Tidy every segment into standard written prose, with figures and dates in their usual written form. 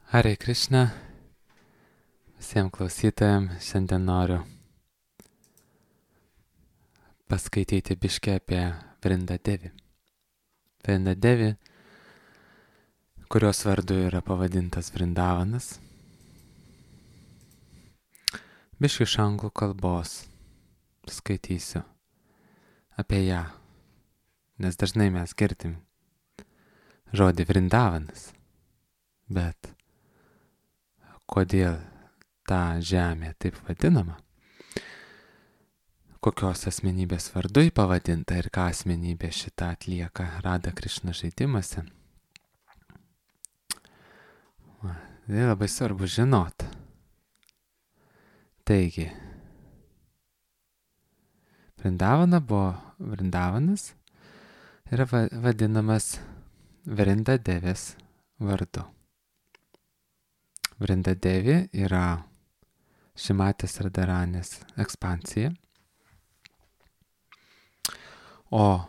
Hare Krishna, visiems klausytojams šiandien noriu paskaityti biškį apie Vrinda Devi. Vrinda Devi, kurios vardu yra pavadintas Vrindavanas. Biškį iš anglų kalbos skaitysiu apie ją, nes dažnai mes girdim žodį Vrindavanas, bet kodėl ta žemė taip vadinama, kokios asmenybės vardu jį pavadinta ir ką asmenybė šitą atlieka Radha Krishna žaidimuose. Tai labai svarbu žinot. Taigi, Vrindavanas yra vadinamas Vrinda Devės vardu. Vrinda Devi yra Šimatės Radharanės ekspansija. O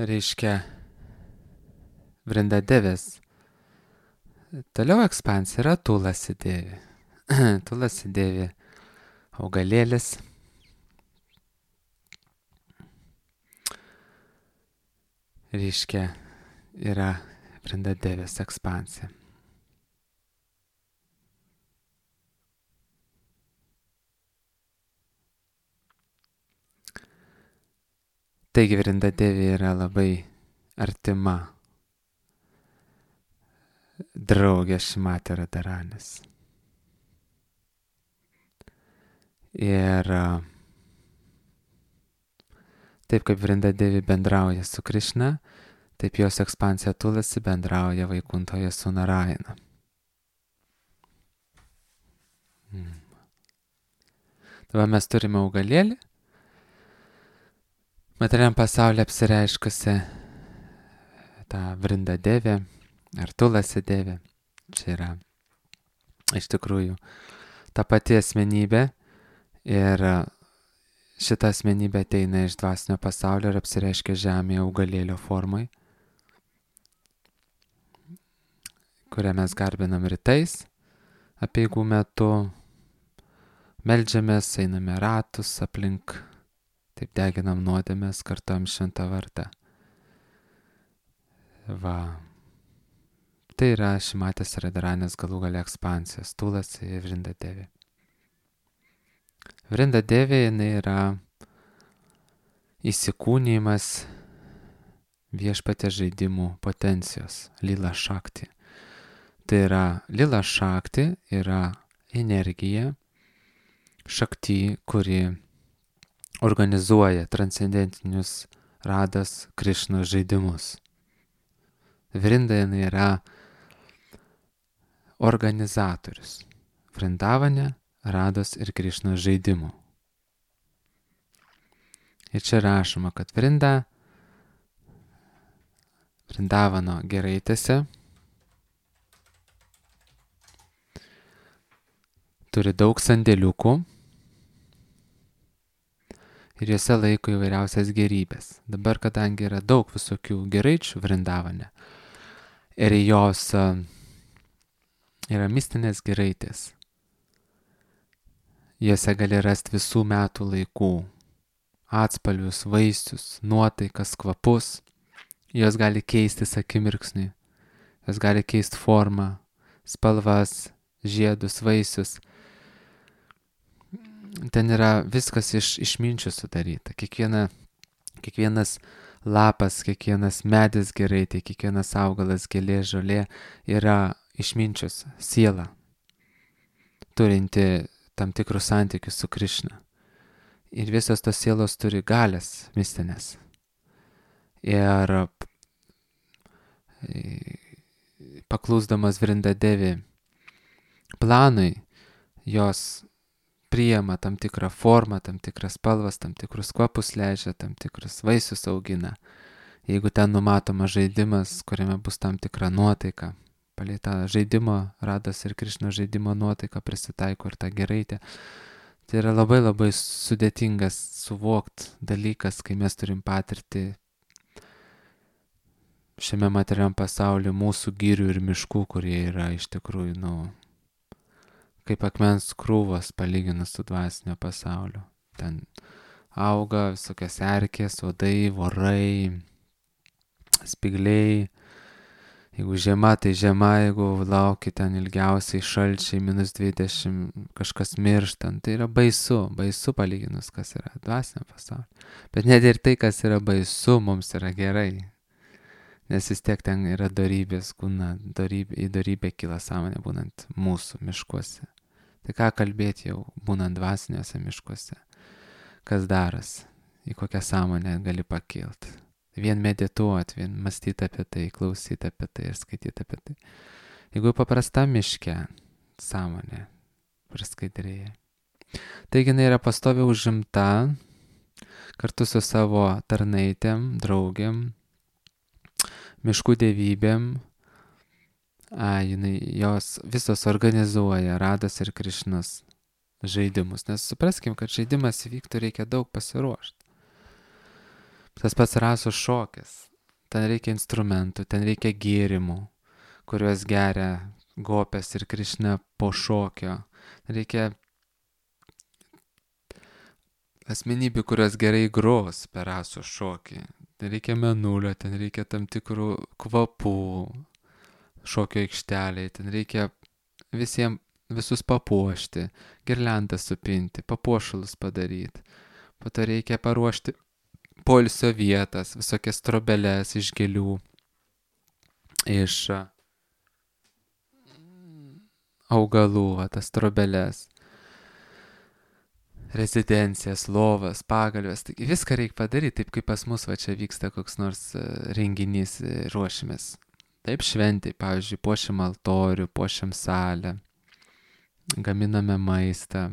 reiškia Vrinda Devės toliau ekspansija yra Tulasi Devi. Tulasi Devi augalėlis. Reiškia yra Vrinda Devės ekspansija. Taigi Vrinda Devi yra labai artima draugė Šimatė Radharanės. Ir taip kaip Vrinda Devi bendrauja su Krishna, taip jos ekspansija Tulasi bendrauja Vaikuntoje su Narayana. Dabar mes turime augalėlį, materialiam pasaulyje apsireiškusi tą Vrinda Devį ar Tulasi Devį. Čia yra iš tikrųjų ta pati asmenybė ir šita asmenybė ateina iš dvasinio pasaulio ir apsireiškia žemėje augalėlio formai, kurią mes garbinam rytais, apeigų metu, meldžiamės, einame ratus aplink, taip deginam nuodėmes, kartuojam šventą vardą. Va. Tai yra Šimatės Radharanės galų gale ekspansijos, Tulasi ir Vrinda Devi. Vrinda Devi jinai yra įsikūnijimas viešpaties žaidimų potencijos, Lila Shakti. Tai yra Lila Shakti yra energija, Shakti, kuri organizuoja transcendentinius Radas Krishnos žaidimus. Vrinda jinai yra organizatorius Vrindavane, Rados ir Krishnos žaidimų. Ir čia rašoma, kad Vrindavano giraitėse turi daug sandėliukų ir juose laiko įvairiausias gerybės. Dabar, kadangi yra daug visokių giraičių Vrindavane ir jos yra mistinės giraitės, juose gali rasti visų metų laikų atspalvius, vaisius, nuotaikas, kvapus. Jos gali keistis akimirksniui, jos gali keisti formą, spalvas, žiedus, vaisius. Ten yra viskas iš išminčių sudaryta. Kiekvienas lapas, kiekvienas medis giraitė, kiekvienas augalas, gėlė, žolė yra išminčius, siela, turinti tam tikrus santykius su Krishna. Ir visos tos sielos turi galias mistinės. Ir paklusdamas Vrinda Devi planui, jos priima tam tikrą formą, tam tikras spalvas, tam tikrus kvapus leidžia, tam tikrus vaisius augina. Jeigu ten numatomas žaidimas, kuriame bus tam tikra nuotaika, palei tą žaidimo, Rados ir Krishnos žaidimo nuotaiką prisitaiko ir tą giraitę. Tai yra labai labai sudėtingas suvokt dalykas, kai mes turim patirti šiame materiam pasauliu mūsų girių ir miškų, kurie yra iš tikrųjų, kaip akmens krūvos palyginus su dvasinio pasauliu. Ten auga visokios erkės, uodai, vorai, spygliai. Jeigu žiema, tai žiema, jeigu lauki ten ilgiausiai šalčiai, -20, kažkas mirštant, tai yra baisu palyginus, kas yra dvasinio pasaulio. Bet net ir tai, kas yra baisu, mums yra gerai. Nes vis tiek ten yra dorybės, į dorybę kyla sąmonė būnant mūsų miškuose. Tai ką kalbėti jau būnant dvasiniuose miškuose? Kas daras? Į kokią sąmonę gali pakilti? Vien medituoti, vien mąstyti apie tai, klausyti apie tai ir skaityti apie tai. Jeigu paprasta miške sąmonė praskaidrėja. Taigi jinai yra pastoviai užimta kartu su savo tarnaitėm, draugėm, miškų dievybėm. Jos visos organizuoja Rados ir Krišnos žaidimus. Nes supraskim, kad žaidimas įvyktų reikia daug pasiruošti. Tas pats rasų šokis. Ten reikia instrumentų, ten reikia gėrimų, kuriuos geria Gopės ir Krišna po šokio. Reikia asmenybių, kurios gerai gros per rasų šokį. Ten reikia menulio, ten reikia tam tikrų kvapų šokio aikšteliai, ten reikia visus papuošti, girliandą supinti, papuošalus padaryti. Po to reikia paruošti poilsio vietas, visokias trobeles iš gėlių, iš augalų, tas trobeles, rezidencijas, lovas, pagalves. Taigi viską reikia padaryti, taip kaip pas mus čia vyksta koks nors renginys, ruošimės. Taip šventai, pavyzdžiui, puošiam altorių, puošiam salę, gaminame maistą,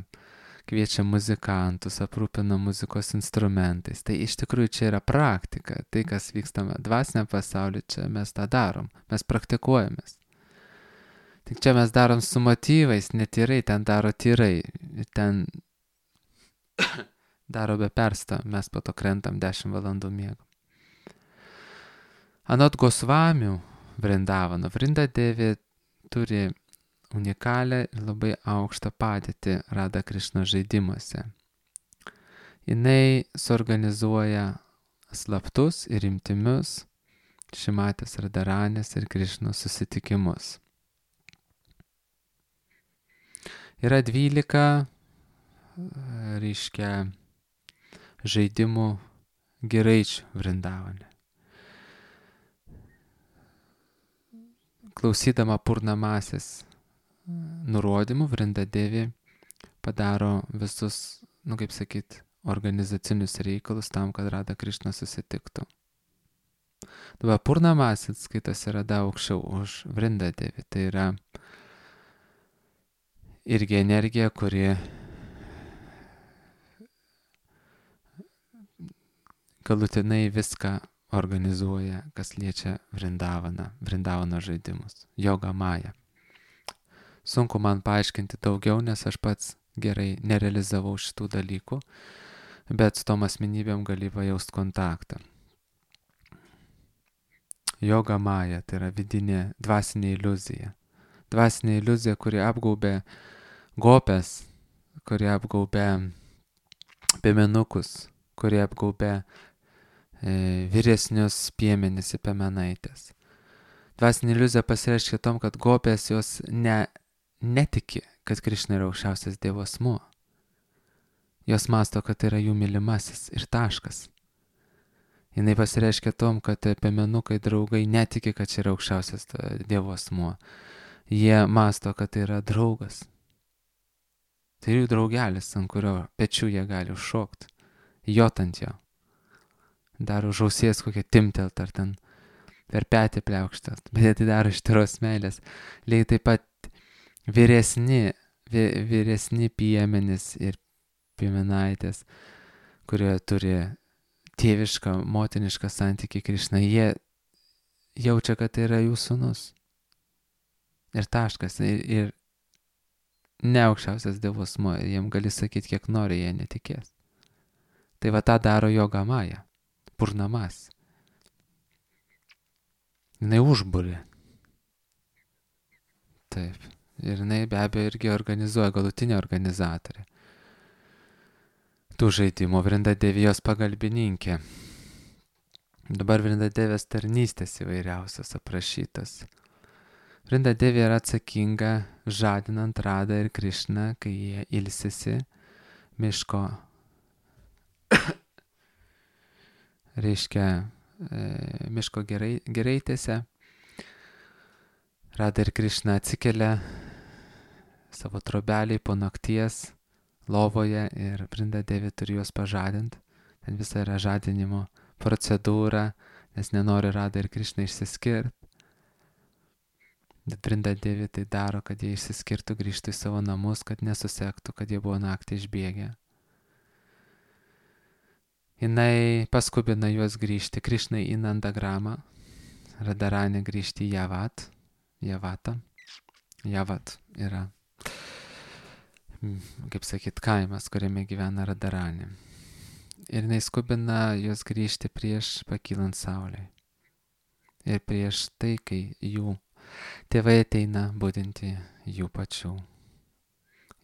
kviečiam muzikantus, aprūpinam muzikos instrumentais. Tai iš tikrųjų čia yra praktika. Tai, kas vykstame dvasiniam pasauliu, čia mes tą darom. Mes praktikuojamės. Tik čia mes darom su motyvais, netyrai, ten daro tyrai. Ten daro be persto, mes po to krentam 10 valandų miego. Anot Gosvamių Vrindavano, Vrindadevė turi unikalią ir labai aukštą padėtį Rada Krišna žaidimuose. Jinai suorganizuoja slaptus ir intymius Šimatės Radaranės ir Krišnos susitikimus. Yra 12 žaidimų giraičių Vrindavane. Klausydama Purnamasis nurodymų, Vrindadevė padaro visus, organizacinius reikalus tam, kad Rada Krišna susitiktų. Dabar Purnamasis skaitosi Rada aukščiau už Vrindadevį. Tai yra irgi energija, kuri galutinai viską organizuoja, kas liečia Vrindavano žaidimus. Joga Maja. Sunku man paaiškinti daugiau, nes aš pats gerai nerealizavau šitų dalykų, bet su tom asmenybėm gali pajaust kontaktą. Joga Maja tai yra vidinė dvasinė iliuzija. Dvasinė iliuzija, kuri apgaubė Gopes, kuri apgaubė piemenukus, kuri apgaubė vyresnius piemenis ir piemenaitės. Dvasinė iliuzija pasireiškia tom, kad Gopės jos netiki, kad Krišna yra aukščiausias Dievo asmuo. Jos masto, kad tai yra jų mylimasis ir taškas. Jinai pasireiškia tom, kad piemenukai draugai netiki, kad čia yra aukščiausias Dievo asmuo. Jie masto, kad tai yra draugas. Tai jų draugelis, ant kurio pečių jie gali užšokti, jot ant jo. Dar už ausies kokią timtelt ar ten per petį pliaukštelt, bet jie tai daro iš tyros meilės. Lygiai taip pat vyresni piemenys ir piemenaitės, kurie turi tėvišką, motinišką santykį Krišna, jie jaučia, kad tai yra jų sūnus. Ir taškas. Ir ne aukščiausias Dievo asmuo. Jiem gali sakyti, kiek nori, jie netikės. Tai va tą daro Joga Maja. Purnamas. jinai užbūrė. Taip. Ir jinai be abejo irgi organizuoja, galutinė organizatorė. Tų žaidimų Vrindadevijos pagalbininkė. Dabar Vrindadevės tarnystės įvairiausios aprašytos. Vrindadevė yra atsakinga žadinant Radą ir Krišną, kai jie ilsisi miško, reiškia miško giraitėse. Rada ir Krišna atsikelia savo trobelį po nakties lovoje ir Vrindadevė turi juos pažadinti. Ten visa yra žadinimo procedūra, nes nenori Rada ir Krišna išsiskirti. Bet Vrindadevė tai daro, kad jie išsiskirtų, grįžtų į savo namus, kad nesusektų, kad jie buvo naktį išbėgę. Jinai paskubina juos grįžti Krišnai į Nandagramą, Radharani grįžti į Javatą. Javat yra, kaip sakyt, kaimas, kuriame gyvena Radharani. Ir jinai skubina juos grįžti prieš pakylant saulei. Ir prieš tai, kai jų tėvai ateina budinti jų pačių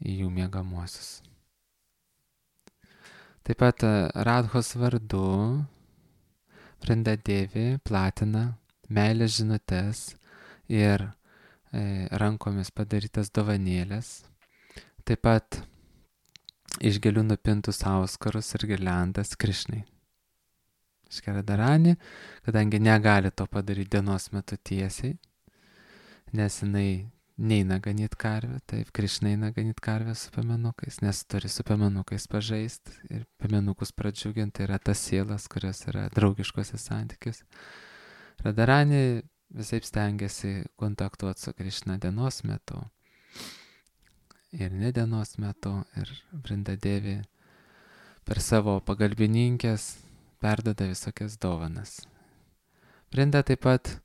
į jų miegamuosius. Taip pat Radhos vardu Vrindadevė platina meilės žinutes ir rankomis padarytas dovanėlės. Taip pat iš gėlių nupintus auskarus ir girliandas Krišnai. Radharani, kadangi negali to padaryti dienos metu tiesiai, nes jinai neina ganyt karvę, taip, Krišna eina ganyt karvę su piemenukais, nes turi su piemenukais pažaisti ir piemenukus pradžiuginti, tai yra tas sielas, kurios yra draugiškose santykiuose. Radharani visaip stengiasi kontaktuoti su Krišna dienos metu ir ne dienos metu, ir Vrindadevė per savo pagalbininkės perdada visokias dovanas. Vrinda taip pat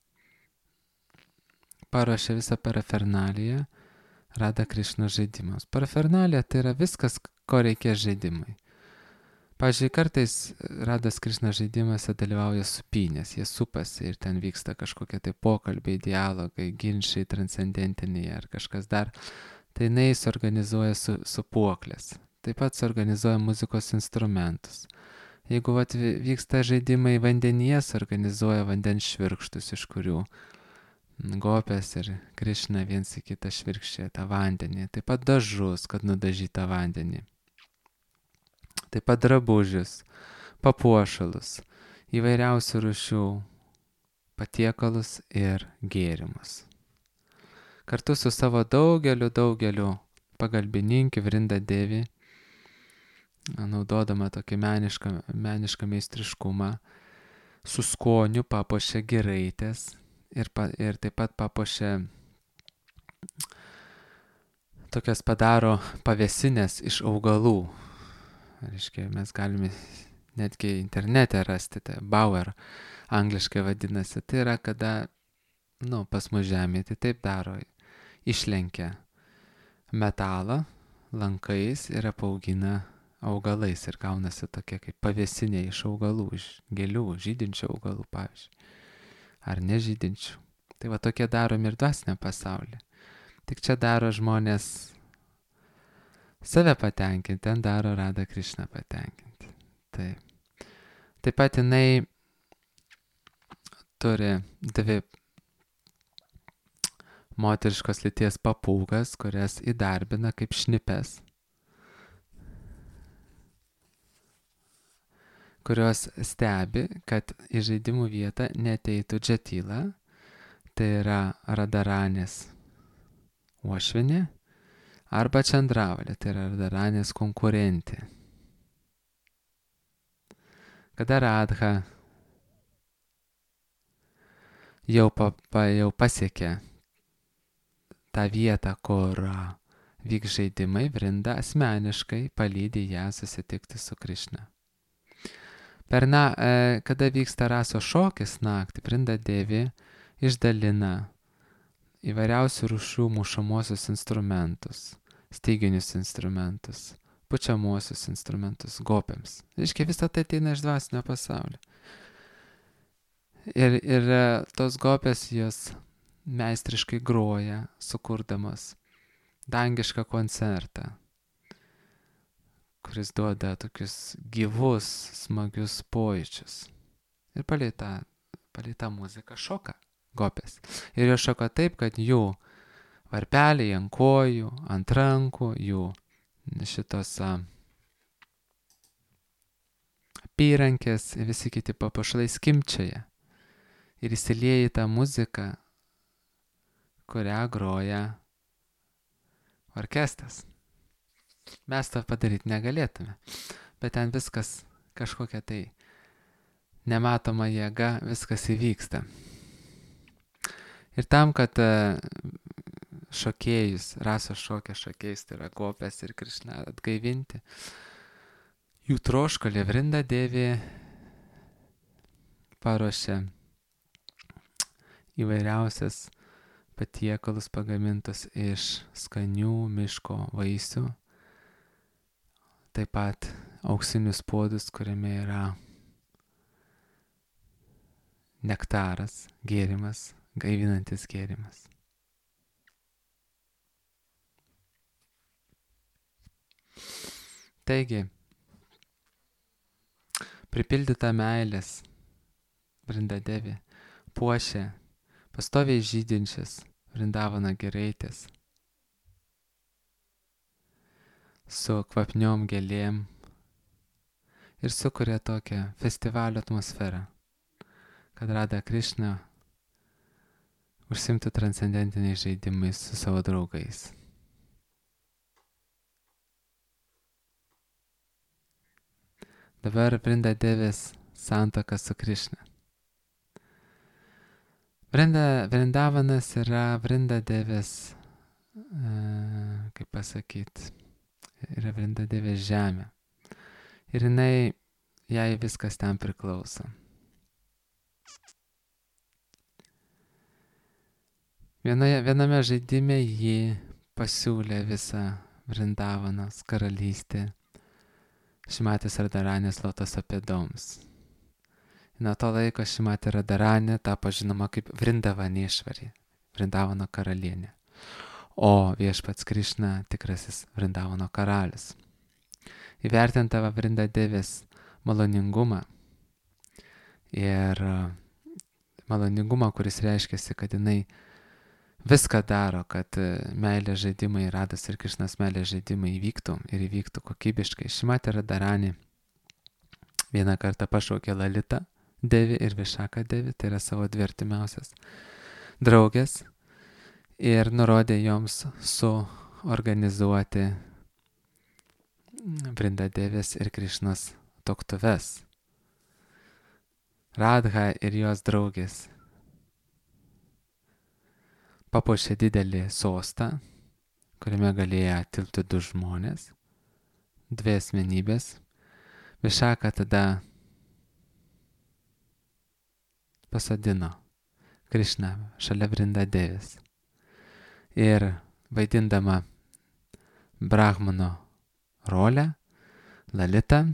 paruošė visą parafernaliją Rada Krišna žaidimams. Parafernalija tai yra viskas, ko reikės žaidimai. Pavyzdžiui, kartais Radas Krišna žaidimuose dalyvauja supynės, jie supasi ir ten vyksta kažkokie tai pokalbiai, dialogai, ginčiai transcendentiniai ar kažkas dar. Tai jinai suorganizuoja supuoklės. Taip pat suorganizuoja muzikos instrumentus. Jeigu vyksta žaidimai vandenyje, suorganizuoja vandens švirkštus, iš kurių Gopės ir Krišna viens į kitą švirkščia tą vandenį. Taip pat dažus, kad nudažytą vandenį. Taip pat drabužius, papuošalus, įvairiausių rūšių patiekalus ir gėrimus. Kartu su savo daugeliu pagalbininkių Vrindadevė, naudodama tokį menišką meistriškumą, su skoniu papuošia giraitės ir taip pat papuošia, tokias padaro pavėsinės iš augalų. Reiškia, mes galime netgi internete rasti, tai Bauer angliškai vadinasi. Tai yra, kada, pas mus žemėje tai taip daro, išlenkia metalą lankais ir apaugina augalais ir gaunasi tokie kaip pavėsinė iš augalų, iš gėlių, žydinčių augalų, pavyzdžiui, ar nežydinčių. Tai va tokie daromi ir dvasinė pasaulyje. Tik čia daro žmonės save patenkinti, ten daro Rada Krišna patenkinti. Taip pat jinai turi dvi moteriškos lyties papūgas, kurias įdarbina kaip šnipes, kurios stebi, kad į žaidimų vietą neteitų Džatila, tai yra Radharanės uošvinė, arba Čandravalė, tai yra Radharanės konkurentė. Kada Radha jau pasiekė tą vietą, kur vyks žaidimai, Vrinda asmeniškai palydi ją susitikti su Krišna. Kada vyksta raso šokis naktį, Vrindadevė išdalina įvairiausių rūšių mušamuosius instrumentus, styginius instrumentus, pučiamuosius instrumentus gopėms. Reiškia, visą tai ateina iš dvasinio pasaulio. Ir tos gopės jos meistriškai groja, sukurdamos dangišką koncertą, kuris duoda tokius gyvus, smagius pojūčius. Ir palei tą muziką šoka gopės. Ir jos šoka taip, kad jų varpeliai ant kojų, ant rankų, jų šitos apyrankės ir visi kiti papuošalai skimbčioja. Ir įsilieja į tą muziką, kurią groja orkestras. Mes to padaryti negalėtume, bet ten viskas kažkokia tai nematoma jėga, viskas įvyksta. Ir tam, kad šokėjus, rasos šokio šokėjus, tai yra gopės ir Krišna, atgaivinti, jų troškulį Vrinda Devi paruošė įvairiausias patiekalus pagamintus iš skanių miško vaisių, taip pat auksinius puodus, kuriame yra nektaras, gėrimas, gaivinantis gėrimas. Taigi, pripildyta meilės Vrinda Devi puošia pastoviai žydinčias Vrindavano giraitės su kvapniom gėlėm ir sukuria tokią festivalio atmosferą, kad Radha Krišna užsimtų transcendentiniais žaidimais su savo draugais. Dabar Vrinda Devės santuoka su Krišna. Vrindavanas yra Vrinda Devės, kaip pasakyti, yra Vrinda Devės žemė. Ir jai viskas ten priklauso. Viename žaidime ji pasiūlė visą Vrindavanos karalystę Šimatės Radharanės lotoso pėdoms. Nuo to laiko Šimatė Radharanė tapo žinoma kaip Vrindavanešvarė, Vrindavano karalienė, o viešpats Krišna tikrasis Vrindavano karalius. Įvertintava Vrinda Devės maloningumą ir maloningumą, kuris reiškiasi, kad jinai viską daro, kad meilės žaidimai, Rados ir Krišnos meilės žaidimai įvyktų ir įvyktų kokybiškai. Šimatė Radharani vieną kartą pašaukė Lalita Devi ir Višaka Devi, tai yra savo dvi artimiausias draugės, ir nurodė joms suorganizuoti Vrinda Devės ir Krišnos tuoktuves. Radha ir jos draugės papuošė didelį sostą, kuriame galėjo tilpti 2 žmonės, 2 asmenybės. Višaka tada pasodino Krišną šalia Vrinda Devės ir vaidindama Brahmano rolę, Lalita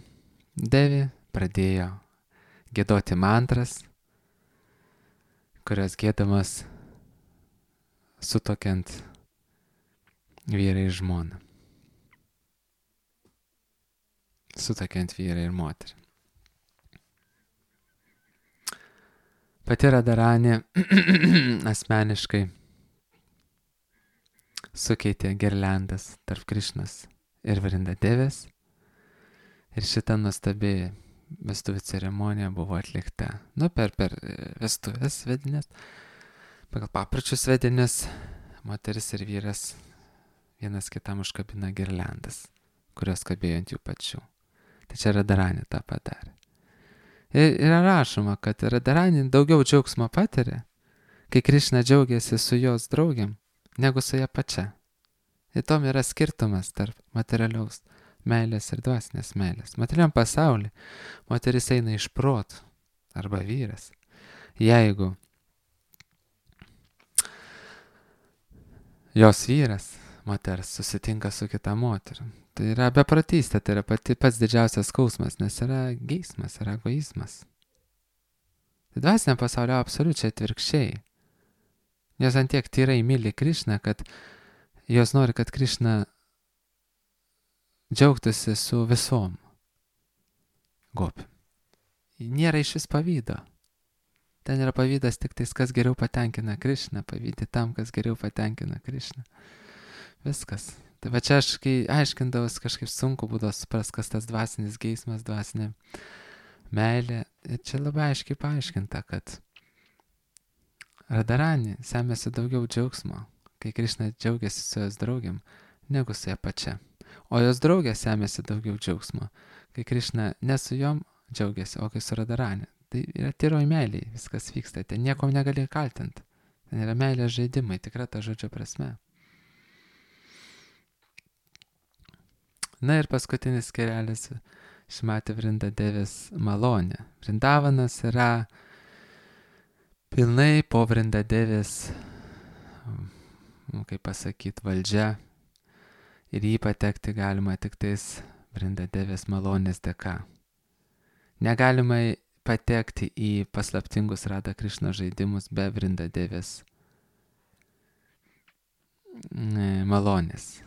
Devi pradėjo giedoti mantras, kurios giedamos sutuokiant vyrą ir žmoną. Sutuokiant vyrą ir moterį. Pati Radharani asmeniškai sukeitė girliandas tarp Krišnos ir Vrinda Devės. Ir šita nuostabi vestuvių ceremonija buvo atlikta. Per vestuvės vedinės. Pagal papročius vedinės moteris ir vyras vienas kitam užkabina girliandas, kurios kabėjo ant jų pačių. Tai čia Radharani tą padarė. Ir yra rašoma, kad Radharani daugiau džiaugsmo patiria, kai Krišna džiaugiasi su jos draugiam, negu su ją pačia. Ir tom yra skirtumas tarp materialiaus meilės ir dvasinės meilės. Materialiam pasauly moteris eina iš protų, arba vyras. Jeigu jos vyras, moters, susitinka su kita moterim, tai yra beprotystė, tai yra pats didžiausias skausmas, nes yra geismas, yra egoizmas. Tai dvasiniam pasaulio absoliučiai atvirkščiai. Jos antiek tyrai myli Krišną, kad jos nori, kad Krišna džiaugtųsi su visom gopim. Nėra iš vis pavydo. Ten yra pavydas tik tais, kas geriau patenkina Krišną, pavydį tam, kas geriau patenkina Krišną. Viskas. Tai va čia aš, kai aiškindavus, kažkaip sunku būdavo supras, kas tas dvasinis geismas, dvasinė meilė. Ir čia labai aiškiai paaiškinta, kad Radharani semėsi daugiau džiaugsmo, kai Krišna džiaugiasi su jos draugiam, negu su ją pačia. O jos draugė semėsi daugiau džiaugsmo, kai Krišna ne su jom džiaugiasi, o kai su Radharani. Tai yra tyroj meiliai, viskas vyksta, ten niekom negali kaltinti. Ten yra meilės žaidimai, tikra ta žodžio prasme. Na ir paskutinis skyrelis Šrimati Vrindadevės malonė. Vrindavanas yra pilnai po Vrindadevės, kaip pasakyti, valdžia. Ir jį patekti galima tik tais Vrindadevės malonės dėka. Negalima patekti į paslaptingus Radha Krišna žaidimus be Vrindadevės malonės.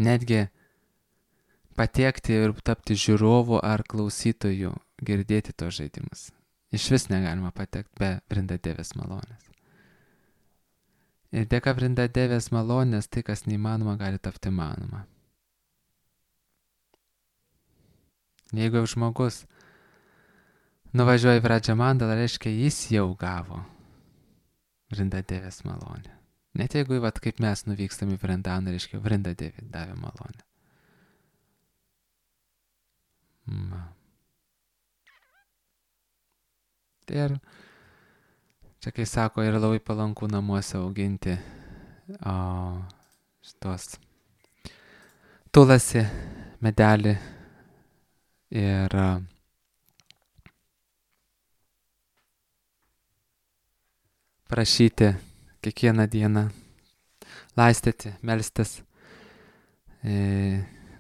Netgi patekti ir tapti žiūrovu ar klausytoju, girdėti tos žaidimus. Iš vis negalima patekti be Vrindadevės malonės. Ir dėka Vrindadevės malonės tai, kas neįmanoma, gali tapti manoma. Jeigu jau žmogus nuvažiuoja į Vradžamandalą, reiškia, jis jau gavo Vrindadevės malonę. Net jeigu, vat, kaip mes nuvykstam į Vrindaną, reiškia, Vrindadevė davė malonę. Ir čia, kai sako, yra labai palanku namuose auginti šitos tulasi medelį ir prašyti kiekvieną dieną laistyti, melstis,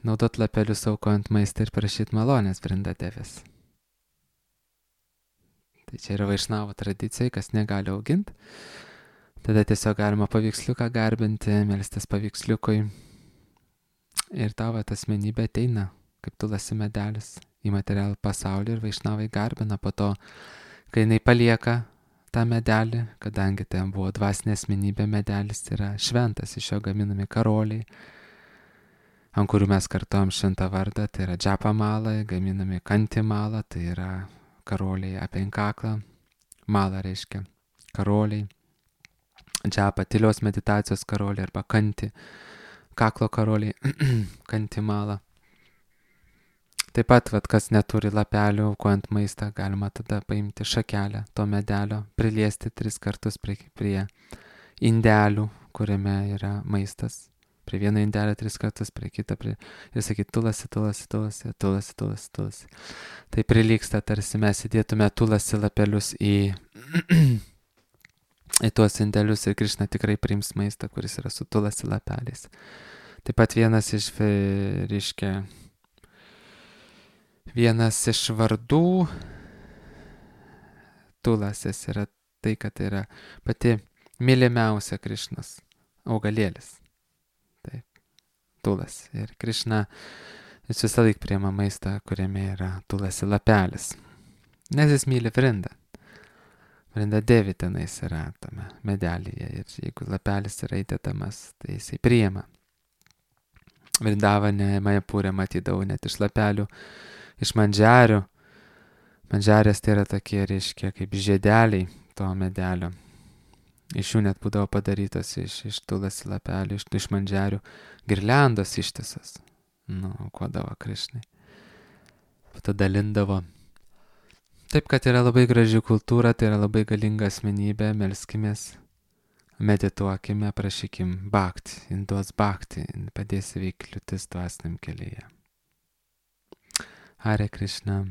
naudot lapelius aukojant maistą ir prašyti malonės Vrindadevės. Tai čia yra vaišnavo tradicija, kas negali auginti. Tada tiesiog galima paveiksliuką garbinti, melstis paveiksliukui. Ir tavo asmenybė ateina, kaip tulasi medelis, į materialų pasaulį ir vaišnavai garbina. Po to, kai jinai palieka tą medelį, kadangi ten buvo dvasinė asmenybė, medelis yra šventas, iš jo gaminami karoliai, ant kurių mes kartuojam šventą vardą, tai yra džapa mala, gaminami kanti mala, tai yra karoliai aplink kaklą, mala reiškia karoliai, džapa tylios meditacijos karoliai arba kanti, kaklo karoliai, kanti mala. Taip pat, kas neturi lapelių, aukojant maistą, galima tada paimti šakelę to medelio, priliesti 3 kartus prie indelių, kuriame yra maistas. Prie vieno indelio 3 kartus, prie kitą, ir sakyti tulasi, tulasi, tulasi, tulasi, tulasi, tulasi. Tai prilyksta, tarsi mes įdėtume tulasi lapelius į tuos indelius ir Krišna tikrai priims maistą, kuris yra su tulasi lapeliais. Taip pat vienas iš vardų tulasės yra tai, kad tai yra pati mylimiausia Krišnos augalėlis. Taip, tulas. Ir Krišna jis visą laik priima maistą, kuriame yra tulasi lapelis. Nes jis myli Vrindą. Vrindadevi tenais yra tame medelyje. Ir jeigu lapelis yra įdėdamas, tai jisai priima. Vrindavane, Majapūre matydavau net iš lapelių, iš mandžiarių. Mandžiarės tai yra tokie, reiškia, kaip žiedeliai to medelio. Iš jų net būdavo padarytos iš tulasi lapelių, iš mandžiarių girliandos ištisas. Aukodavo Krišnai. Tada dalindavo. Taip, kad yra labai graži kultūra, tai yra labai galinga asmenybė, melskimės, medituokime, prašykim bhakti, duos bhakti, padės įveikti kliūtis dvasiniam kelyje. Hare Krishna.